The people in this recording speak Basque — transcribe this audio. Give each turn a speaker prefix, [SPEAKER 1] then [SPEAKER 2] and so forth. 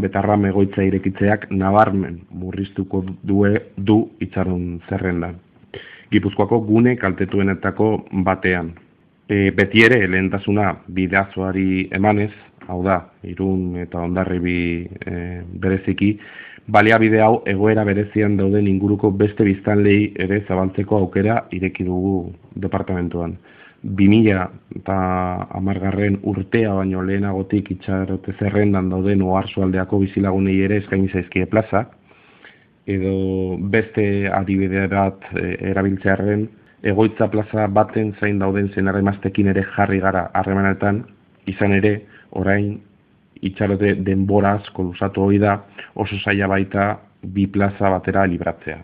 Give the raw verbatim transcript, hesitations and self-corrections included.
[SPEAKER 1] Betarram egoitza irekitzeak nabarmen murriztuko due, du itxaron zerrendan. Gipuzkoako gune kaltetuenetako batean. E, beti ere, lehentasuna bidazoari emanez, hau da, Irun eta Hondarribi e, bereziki, baliabide hau egoera berezian dauden inguruko beste biztanlei ere zabaltzeko aukera ireki dugu departamentuan. bi mila hamargarren urtea baino lehenagotik itxarote zerrendan dauden oarsoaldeako bizilagunei ere eskaini zaizkie plaza, edo beste adibide bat e, erabiltzearren, egoitza plaza baten zain dauden senarremaztekin ere jarri gara harremanetan, izan ere, orain itxarote denbora asko luzatu hori da, oso zaila baita bi plaza batera libratzea.